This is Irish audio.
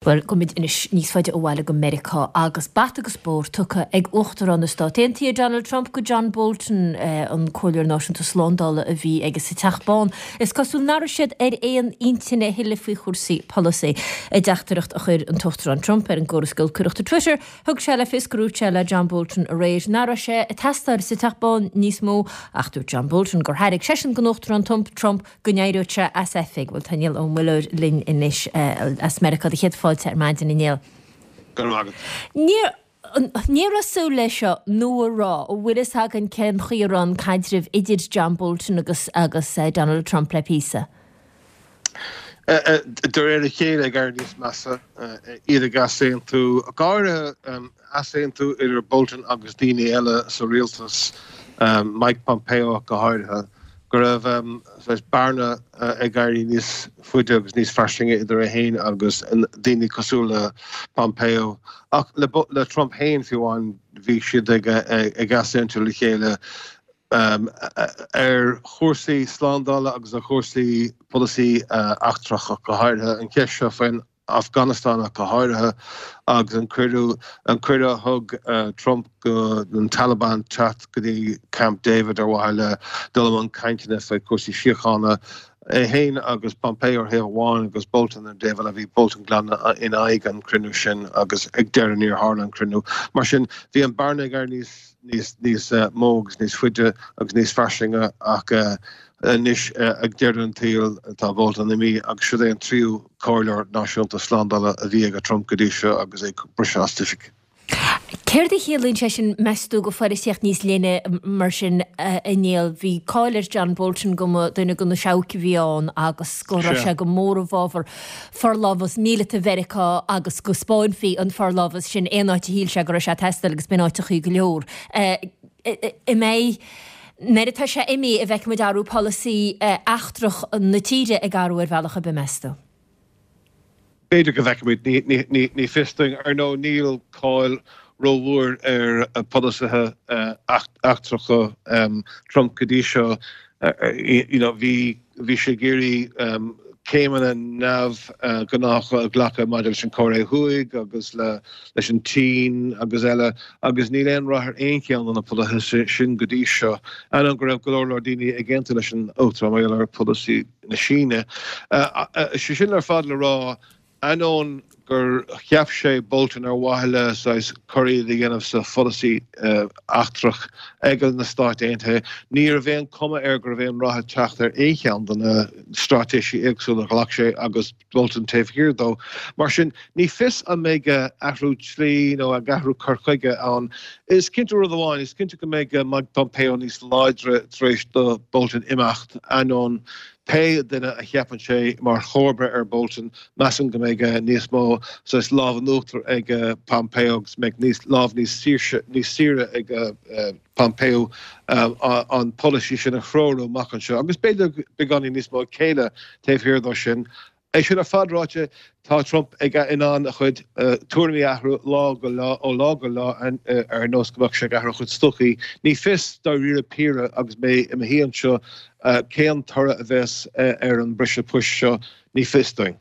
Bhuel, gabhfaimid anois níos faide ó bhaile go Meiriceá agus bata agus bóthar tugtha ag Uachtarán na Stát Aontaithe, Donald Trump, go John Bolton, an Comhairleoir Náisiúnta Slándála a bhí aige sa Teach Bán. Is cosúil nach raibh siad ar aon intinn a thuilleadh faoi chúrsaí polasaí. I dteachtaireacht a chuir an tUachtarán Trump ar an gcóras giolcaireachta Twitter, thug sé le fios gur dhúirt sé le John Bolton aréir nach raibh sé ag teastáil sa Teach Bán níos mó ach dúirt John Bolton gur thairg seisean don Uachtarán Trump go n-éireodh sé as oifig. Bhuel, tá Niall Ó Muilleoir linn anois as Meiriceá. Do chéad fáilte ar maidin, a Néill. Go raibh maith agat. Ní raibh súil leis seo, nó an raibh? An bhfuil fhios againn cén chaoi a raibh an caidreamh idir John Bolton agus agus Donald Trump le píosa? De réir a chéile ag éirí níos measa, iad ag easaontú, go háirithe easaontú idir Bolton agus daoine eile sa rialtas, Mike Pompeo ach go háirithe, go raibh saghas bearna ag éirí níos faide agus níos fairsinge idir é féin agus daoine cosúil le Pompeo. Ach le Trump féin fiú amháin, bhí siad ag easaontú le chéile ar chúrsaí slándála agus ar chúrsaí polasaí eachtrach ach go háirithe, an cheist seo faoin Afganastáin ach go háirithe, agus an cuireadh an cuireadh a thug Trump do na Taliban teacht go dtí Camp David ar mhaithe le dul i mbun cainteanna faoi chúrsaí síochána. É féin agus Pompeo ar thaobh amháin agus Bolton ar an dtaobh eile, bhí Bolton glan in aghaidh an chruinniú sin agus ag deireadh níor tharla an cruinniú. Mar sin, bhí an bearna ag éirí níos níos níos mó agus níos faide agus níos fairsinge ach anois ag deireadh an tsaoil tá Bolton imithe agus siod é an tríú Comhairleoir Náisiúnta Slándála a bhí ag Trump go dtí seo agus é ag briseadh as oifig. Céard a chiallaíonn sé sin, meas tú, do pholaitíocht níos leithne mar sin, a Néill? Bhí cáil ar John Bolton go mba duine de na seabhaic a bhí ann agus go raibh sé go mór i bhfabhar forlámhas míleata Mheiriceá agus go spáinfí an forlámhas sin aon áit a shíl sé go raibh sé ag teastáil agus b'in áiteachaí go leor. An mbeidh, nuair atá sé imithe, an bhfeicfimid athrú polasaí eachtrach na tíre ag athrú ar bhealach ar bith, meas tú? B'fhéidir go bhfeicfimid, ní fios dúinn. Ar ndóigh, níl cáil rómhór ar pholasaithe eachtracha Trump go dtí seo. You know, bhí bhí sé ag iarraidh céimeanna neamhghnácha a ghlacadh maidir leis an Chóiré Thuaidh agus le leis an tSín agus eile agus níl aon rath ar aon cheann de na polasaithe sin go dtí seo, ainneoin go raibh go leor leor daoine ag aontú leis an Uachtarán mar gheall ar pholasaí na Síne. Sé sin ar fad le rá, ainneoin gur cheap sé Bolton ar mhaithe le saghas corraí a dhéanamh sa pholasaí eachtrach ag na Stáit Aontaithe, ní raibh aon chuma air go raibh aon rath ag teacht ar aon cheann de na straitéisí éagsúla a ghlac sé agus Bolton taobh thiar dó. Mar sin, ní fios an mbeidh athrú slí nó athrú cur chuige ann. Is cinnte rud amháin, is cinnte go mbeidh Mike Pompeo níos láidre tar éis do Bolton imeacht, ainneoin pé duine a cheapann sé mar chomharba ar Bolton, measaim go mbeidh níos mó saghas lámh in uachtar ag Pompeo agus mbeidh níos lámh níos saoirse níos saoire ag Pompeo an polasaí sin a threorú amach anseo agus b'fhéidir beagáinín níos mó céille taobh thiar dó sin. É sin ar fad ráite, tá Trump ag in ann a chuid tuairimí a athrú lá go lá, ó lá go lá ar nós go mbeadh sé ag athrú a chuid stocaí. Ní fios dáiríre píre agus mé i mo shuí anseo cén toradh a bheas ar an briseadh poist seo, ní fios dúinn.